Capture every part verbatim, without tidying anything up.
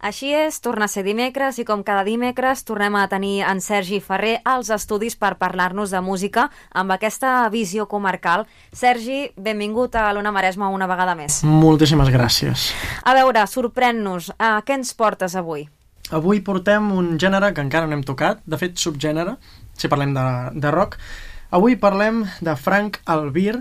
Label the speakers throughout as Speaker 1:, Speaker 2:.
Speaker 1: Així és, torna a ser dimecres i com cada dimecres tornem a tenir en Sergi Ferrer als estudis per parlar-nos de música amb aquesta visió comarcal. Sergi, benvingut a l'Ona Maresma una vegada més.
Speaker 2: Moltíssimes gràcies.
Speaker 1: A veure, sorprèn-nos, uh, què ens portes avui?
Speaker 2: Avui portem un gènere que encara no hem tocat, de fet subgènere, si parlem de, de rock. Avui parlem de Frank Albir,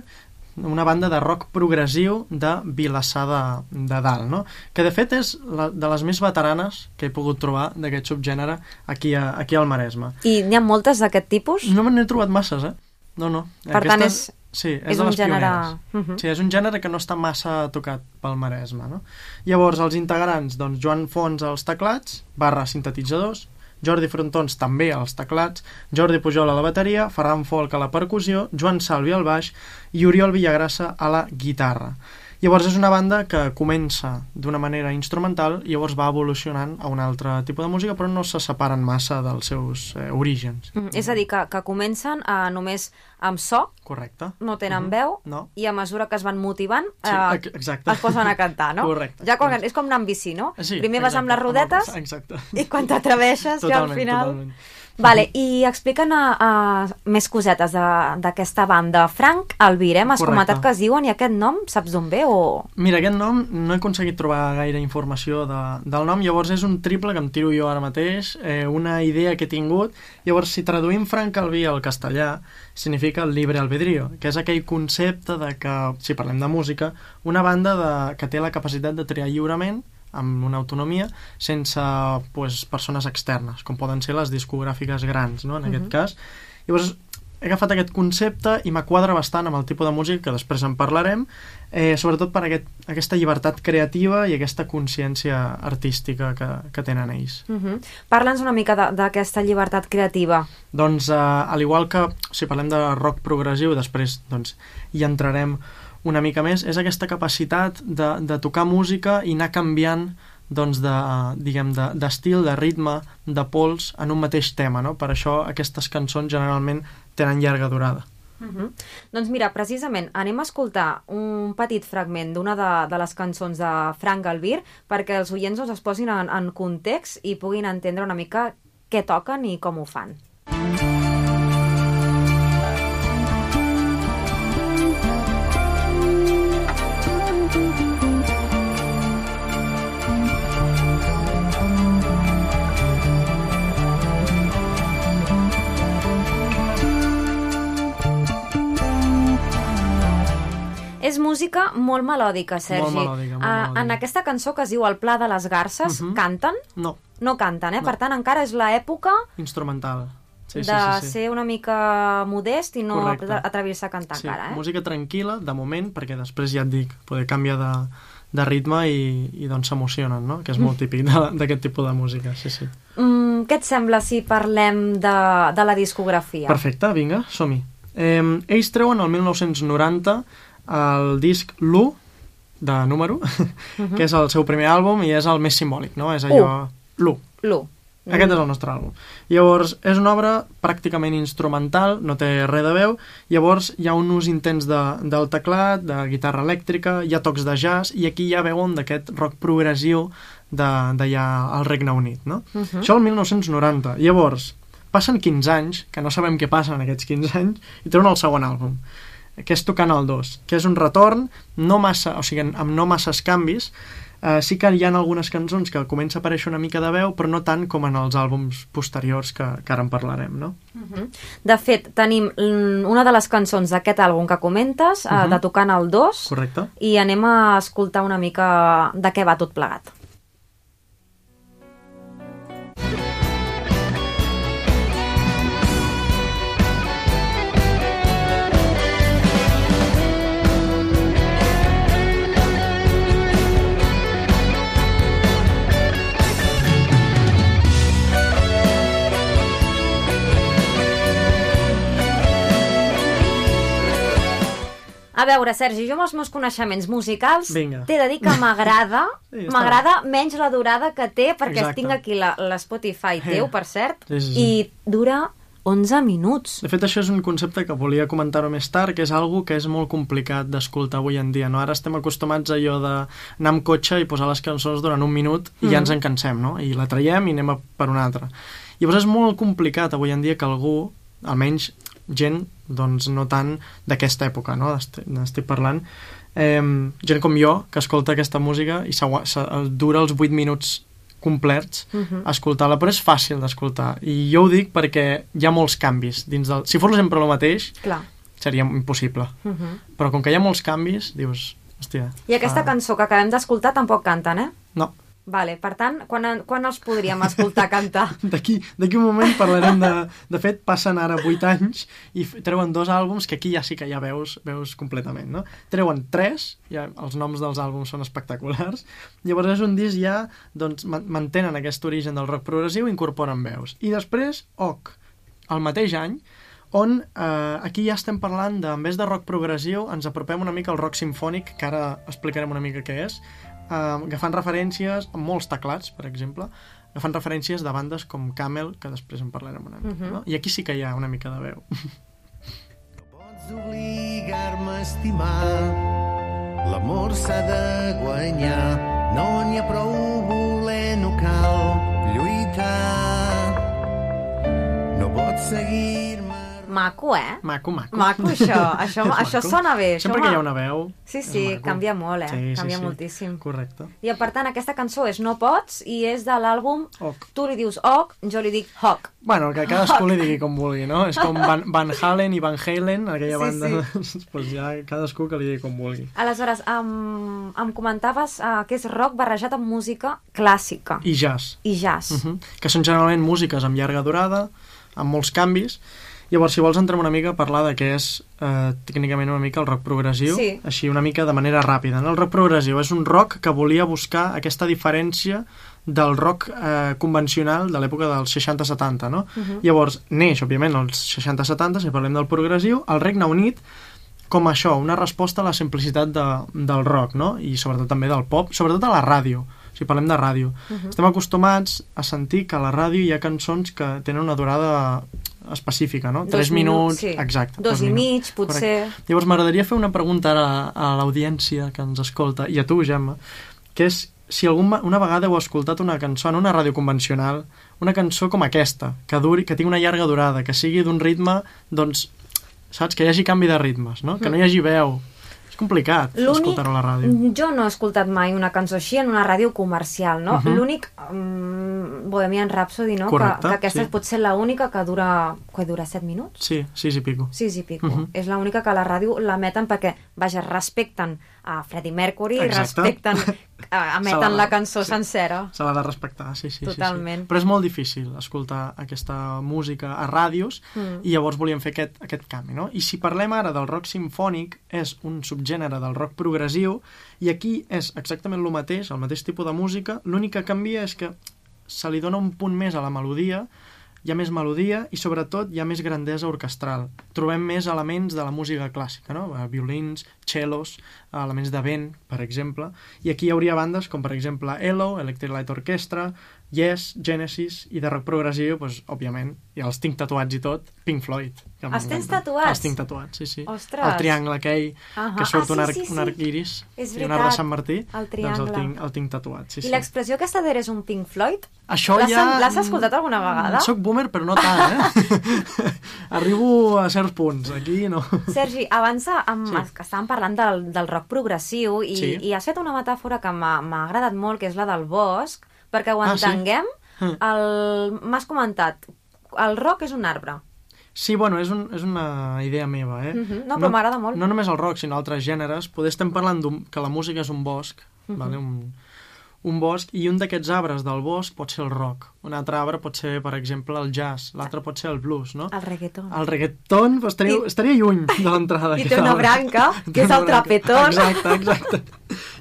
Speaker 2: una banda de rock progressiu de Vilassar de, de Dalt, no? Que de fet és la, de les més veteranes que he pogut trobar d'aquest subgènere aquí, a, aquí al Maresme.
Speaker 1: I n'hi ha moltes d'aquest tipus?
Speaker 2: No me n'he trobat masses, eh? No, no.
Speaker 1: Per Aquesta, tant, és,
Speaker 2: sí, és,
Speaker 1: és
Speaker 2: de
Speaker 1: un
Speaker 2: les
Speaker 1: gènere...
Speaker 2: Uh-huh. Sí, és un gènere que no està massa tocat pel Maresme, no? Llavors, els integrants, doncs, Joan Fons als teclats, barra sintetitzadors, Jordi Frontons també als teclats, Jordi Pujol a la bateria, Ferran Folk a la percussió, Joan Salvi al baix i Oriol Villagrassa a la guitarra. Llavors és una banda que comença d'una manera instrumental i llavors va evolucionant a un altre tipus de música, però no se separen massa dels seus eh, orígens.
Speaker 1: Mm, és a dir, que, que comencen eh, només amb so,
Speaker 2: correcte,
Speaker 1: no tenen
Speaker 2: uh-huh.
Speaker 1: veu,
Speaker 2: no.
Speaker 1: I a mesura que es van motivant eh,
Speaker 2: sí, exacte.
Speaker 1: es posen a cantar, no?
Speaker 2: Correcte.
Speaker 1: Ja quan, és com anar amb bici, no?
Speaker 2: Sí,
Speaker 1: primer vas
Speaker 2: exacte,
Speaker 1: amb les rodetes
Speaker 2: exacte.
Speaker 1: I quan t'atreveixes ja al final...
Speaker 2: Totalment.
Speaker 1: Vale, i explica'ns uh, més cosetes d'aquesta banda. Frank Albir, eh? M'has comentat que es diuen, i aquest nom, saps d'on ve? O...
Speaker 2: Mira, aquest nom no he aconseguit trobar gaire informació de, del nom, llavors és un triple que em tiro jo ara mateix, eh, una idea que he tingut. Llavors, si traduïm Frank Albir al castellà, significa el libre albedrío, que és aquell concepte de que, si parlem de música, una banda de, que té la capacitat de triar lliurement, amb una autonomia, sense pues, persones externes, com poden ser les discogràfiques grans, no? En uh-huh. aquest cas. Llavors, he agafat aquest concepte i m'quadra bastant amb el tipus de música, que després en parlarem, eh, sobretot per aquest, aquesta llibertat creativa i aquesta consciència artística que, que tenen ells.
Speaker 1: Uh-huh. Parla'ns una mica d'aquesta llibertat creativa.
Speaker 2: Doncs, eh, al igual que si parlem de rock progressiu, després doncs, hi entrarem una mica més, és aquesta capacitat de, de tocar música i anar canviant doncs de, diguem, de, d'estil, de ritme, de pols en un mateix tema, no? Per això aquestes cançons generalment tenen llarga durada.
Speaker 1: Uh-huh. Doncs mira, precisament anem a escoltar un petit fragment d'una de, de les cançons de Frank Albir perquè els oients doncs, es posin en, en context i puguin entendre una mica què toquen i com ho fan. És música molt melòdica, Sergi.
Speaker 2: Molt melòdica, molt melòdica.
Speaker 1: Uh, en aquesta cançó que es diu El Pla de les Garces, uh-huh. canten?
Speaker 2: No.
Speaker 1: No canten, eh?
Speaker 2: No.
Speaker 1: Per tant, encara és l'època
Speaker 2: instrumental. Sí,
Speaker 1: de
Speaker 2: sí, sí, sí.
Speaker 1: ser una mica modest i no
Speaker 2: Correcte.
Speaker 1: atrevir-se a cantar
Speaker 2: sí,
Speaker 1: encara, eh?
Speaker 2: Música tranquil·la, de moment, perquè després ja et dic, poder canviar de, de ritme i, i doncs s'emocionen, no? Que és molt típic d'aquest tipus de música, sí, sí.
Speaker 1: Mm, què et sembla si parlem de, de la discografia?
Speaker 2: Perfecte, vinga, som-hi. Eh, ells treuen el mil nou-cents noranta el disc l'u, de número, uh-huh. que és el seu primer àlbum i és el més simbòlic, no? És allò... l'u.
Speaker 1: L'u.
Speaker 2: Aquest és el nostre àlbum. Llavors, és una obra pràcticament instrumental, no té res de veu, llavors hi ha un ús intens de, del teclat, de guitarra elèctrica, hi ha tocs de jazz, i aquí ja veuen d'aquest rock progressiu d'allà al Regne Unit, no? Uh-huh. Això el mil nou-cents noranta. Llavors, passen quinze anys, que no sabem què passa en aquests quinze anys, i treuen el segon àlbum, que és Tocant el dos, que és un retorn no massa, o sigui, amb no masses canvis. Uh, sí que hi ha algunes cançons que comença a aparèixer una mica de veu, però no tant com en els àlbums posteriors que, que ara en parlarem, no?
Speaker 1: Uh-huh. De fet, tenim una de les cançons d'aquest àlbum que comentes, uh-huh. uh, de Tocant el dos.
Speaker 2: Correcte.
Speaker 1: I anem a escoltar una mica de què va tot plegat. A veure, Sergi, jo amb els meus coneixements musicals
Speaker 2: Vinga.
Speaker 1: t'he de dir que m'agrada
Speaker 2: sí,
Speaker 1: m'agrada menys la durada que té, perquè
Speaker 2: Exacte.
Speaker 1: tinc aquí la, la Spotify
Speaker 2: Eh.
Speaker 1: teu, per cert,
Speaker 2: Sí, sí, sí.
Speaker 1: i dura onze minuts.
Speaker 2: De fet, això és un concepte que volia comentar-ho més tard, que és algo que és molt complicat d'escoltar avui en dia, no? Ara estem acostumats a allò d'anar amb cotxe i posar les cançons durant un minut i mm. ja ens en cansem, no? I la traiem i anem a per una altra. Llavors és molt complicat avui en dia que algú, almenys gent, doncs no tant d'aquesta època, no? N'estic parlant. Eh, gent com jo, que escolta aquesta música i dura els vuit minuts complets uh-huh. escoltar-la, però és fàcil d'escoltar i jo ho dic perquè hi ha molts canvis dins del... Si fos sempre el mateix Clar. Seria impossible uh-huh. però com que hi ha molts canvis dius, hòstia...
Speaker 1: I aquesta uh... cançó que acabem d'escoltar tampoc canten, eh?
Speaker 2: No.
Speaker 1: Vale, per tant, quan, quan els podríem escoltar cantar?
Speaker 2: D'aquí d'aquí un moment parlarem de... De fet, passen ara vuit anys i treuen dos àlbums que aquí ja sí que ja veus, veus completament, no? Treuen tres, ja els noms dels àlbums són espectaculars, llavors és un disc ja, doncs, mantenen aquest origen del rock progressiu i incorporen veus. I després, O C, el mateix any, on eh, aquí ja estem parlant de, en vez de rock progressiu, ens apropem una mica al rock simfònic, que ara explicarem una mica què és, Uh, agafant referències amb molts teclats, per exemple, agafant referències de bandes com Camel, que després en parlarem una mica, uh-huh. no? I aquí sí que hi ha una mica de veu.
Speaker 3: No pots obligar-me a estimar, l'amor s'ha de guanyar, no n'hi ha prou voler, no cal lluitar, no pots seguir-me...
Speaker 1: Maco, eh?
Speaker 2: Maco, maco.
Speaker 1: Maco, això. Això, això sona bé.
Speaker 2: Sempre
Speaker 1: això
Speaker 2: que hi ha una veu...
Speaker 1: Sí, sí, canvia molt, eh?
Speaker 2: Sí,
Speaker 1: canvia
Speaker 2: sí, sí.
Speaker 1: moltíssim.
Speaker 2: Correcte.
Speaker 1: I, per tant, aquesta cançó és No Pots i és de l'àlbum...
Speaker 2: O C.
Speaker 1: Tu li dius O C, jo li dic H O C.
Speaker 2: Bueno, que cadascú li digui com vulgui, no? És com Van, Van Halen i Van Halen, aquella
Speaker 1: sí,
Speaker 2: banda...
Speaker 1: Sí.
Speaker 2: pues ja cadascú que li digui com vulgui.
Speaker 1: Aleshores, em, em comentaves uh, que és rock barrejat amb música clàssica.
Speaker 2: I jazz.
Speaker 1: I jazz.
Speaker 2: Uh -huh. Que són generalment músiques amb llarga durada, amb molts canvis. Llavors, si vols, entrem una mica a parlar de què és eh, tècnicament una mica el rock progressiu,
Speaker 1: sí.
Speaker 2: així una mica de manera ràpida. No? El rock progressiu és un rock que volia buscar aquesta diferència del rock eh, convencional de l'època dels seixanta setanta, no? Uh-huh. Llavors, neix, òbviament, als seixanta setanta, si parlem del progressiu, al Regne Unit, com això, una resposta a la simplicitat de, del rock, no? I sobretot també del pop, sobretot a la ràdio, si parlem de ràdio. Uh-huh. Estem acostumats a sentir que a la ràdio hi ha cançons que tenen una durada específica, no?
Speaker 1: Dos
Speaker 2: Tres minuts,
Speaker 1: sí.
Speaker 2: exacte.
Speaker 1: Dos, dos i mig, potser.
Speaker 2: Correcte. Llavors m'agradaria fer una pregunta ara a l'audiència que ens escolta, i a tu, Gemma, que és si algun, una vegada heu escoltat una cançó en una ràdio convencional, una cançó com aquesta, que duri, que tingui una llarga durada, que sigui d'un ritme, doncs, saps? Que hi hagi canvi de ritmes, no? Que no hi hagi veu. És complicat escoltar-ho a la ràdio.
Speaker 1: Jo no he escoltat mai una cançó així en una ràdio comercial, no? Uh-huh. L'únic... Um, Bohemian Rhapsody, no?
Speaker 2: Correcte,
Speaker 1: que, que aquesta
Speaker 2: sí.
Speaker 1: pot ser l'única que dura... Que dura set minuts?
Speaker 2: Sí, sis i pico.
Speaker 1: Sis i pico.
Speaker 2: Uh-huh.
Speaker 1: És l'única que a la ràdio l'emeten perquè, vaja, respecten a Freddie Mercury,
Speaker 2: exacte.
Speaker 1: respecten... emeten la cançó
Speaker 2: sí.
Speaker 1: sencera.
Speaker 2: Se l'ha de respectar, sí, sí.
Speaker 1: Totalment.
Speaker 2: Sí, sí. Però és molt difícil escoltar aquesta música a ràdios mm. i llavors volíem fer aquest, aquest canvi, no? I si parlem ara del rock simfònic, és un subgènere del rock progressiu i aquí és exactament el mateix, el mateix tipus de música, l'únic que canvia és que se li dona un punt més a la melodia, hi ha més melodia i sobretot hi ha més grandesa orquestral. Trobem més elements de la música clàssica, no? Violins, cellos, elements de vent, per exemple, i aquí hi hauria bandes com per exemple E L O, Electric Light Orchestra, Yes, Genesis, i de rock progressiu, doncs, òbviament, ja els tinc tatuats i tot, Pink Floyd.
Speaker 1: Els tens tatuats?
Speaker 2: Els tinc tatuats, sí, sí.
Speaker 1: Ostres!
Speaker 2: El triangle aquell, uh-huh. que surt ah, sí, un, arc,
Speaker 1: sí, sí.
Speaker 2: un arc iris
Speaker 1: és
Speaker 2: i un arc de Sant Martí,
Speaker 1: el triangle.
Speaker 2: doncs el tinc, el tinc tatuat, sí,
Speaker 1: I
Speaker 2: sí.
Speaker 1: l'expressió aquesta d'eres un Pink Floyd?
Speaker 2: Això ja...
Speaker 1: L'has escoltat alguna vegada?
Speaker 2: Soc boomer, però no tant, eh? Arribo a certs punts, aquí no.
Speaker 1: Sergi, abans amb, sí. que estàvem parlant del, del rock progressiu i,
Speaker 2: sí.
Speaker 1: i has fet una metàfora que m'ha agradat molt, que és la del bosc, perquè ho entenguem. Ah, sí? El... M'has comentat, el rock és un arbre.
Speaker 2: Sí, bueno, és, un, és una idea meva, eh?
Speaker 1: Uh-huh. No, però no, m'agrada molt.
Speaker 2: No només el rock, sinó altres gèneres. Poder estem parlant que la música és un bosc, uh-huh. vale? un, un bosc, i un d'aquests arbres del bosc pot ser el rock. Un altre arbre pot ser, per exemple, el jazz. L'altre pot ser el blues, no?
Speaker 1: El reggaeton.
Speaker 2: El reggaeton, pues, estaria, I... estaria lluny de l'entrada.
Speaker 1: I té una branca, que és el trapetón.
Speaker 2: Exacte, exacte.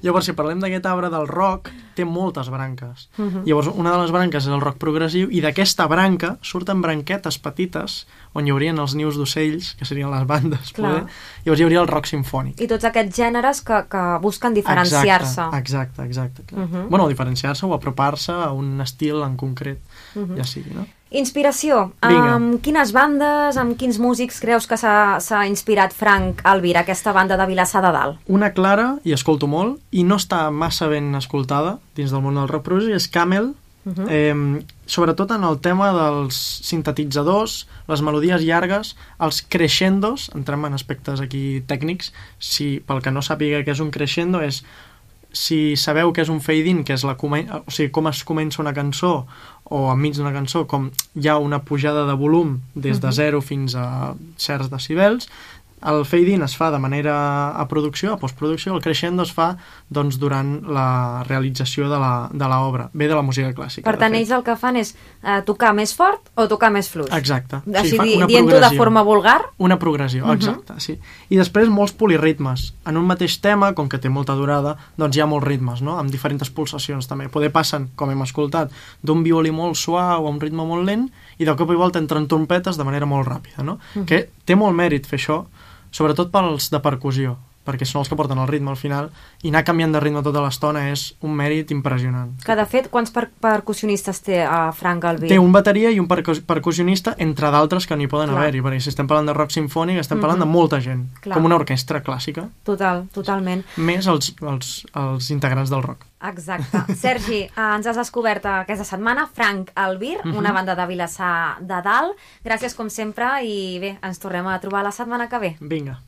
Speaker 2: Llavors, si parlem d'aquest arbre del rock, té moltes branques. Uh-huh. Llavors, una de les branques és el rock progressiu, i d'aquesta branca surten branquetes petites, on hi haurien els nius d'ocells, que serien les bandes, poder. Llavors hi hauria el rock simfònic.
Speaker 1: I tots aquests gèneres que, que busquen diferenciar-se.
Speaker 2: Exacte, exacte. exacte uh-huh. Bueno, diferenciar-se o apropar-se a un estil en concret, uh-huh. ja sigui, no?
Speaker 1: Inspiració.
Speaker 2: Vinga.
Speaker 1: Amb quines bandes, amb quins músics creus que s'ha s'ha inspirat Frank Albir, aquesta banda de Vilassar de Dalt?
Speaker 2: Una clara, i escolto molt, i no està massa ben escoltada dins del món del rock progressiu, és Camel, uh -huh. eh, sobretot en el tema dels sintetitzadors, les melodies llargues, els crescendos, entrem en aspectes aquí tècnics, si pel que no sàpiga què és un crescendo, és si sabeu què és un fade-in, que és la o sigui, com es comença una cançó o enmig d'una cançó, com hi ha una pujada de volum des de zero fins a certs decibels, el fade-in es fa de manera a producció, a postproducció, el crescendo es fa doncs, durant la realització de la, de l'obra, ve de la música clàssica.
Speaker 1: Per tant, ells el que fan és eh, tocar més fort o tocar més fluix.
Speaker 2: Exacte.
Speaker 1: Així,
Speaker 2: sí,
Speaker 1: di, dient-ho de forma vulgar.
Speaker 2: Una progressió, uh -huh. exacte, sí. I després molts poliritmes. En un mateix tema, com que té molta durada, doncs hi ha molts ritmes, no?, amb diferents pulsacions també. Poder passen, com hem escoltat, d'un violí molt suau a un ritme molt lent i de cop i volta entren trompetes de manera molt ràpida, no? Uh -huh. Que té molt mèrit fer això, sobretot pels de percussió, perquè són els que porten el ritme al final, i anar canviant de ritme tota l'estona és un mèrit impressionant.
Speaker 1: Que, de fet, quants per percussionistes té uh, Frank Albir?
Speaker 2: Té un bateria i un percus percussionista, entre d'altres que n'hi poden haver-hi, perquè si estem parlant de rock sinfònic estem parlant uh -huh. de molta gent, Clar. com una orquestra clàssica.
Speaker 1: Total, totalment.
Speaker 2: Més els, els, els integrants del rock.
Speaker 1: Exacte. Sergi, eh, ens has descobert aquesta setmana Frank Albir, uh -huh. una banda de Vilassar de Dalt. Gràcies com sempre i bé, ens tornem a trobar la setmana que ve.
Speaker 2: Vinga.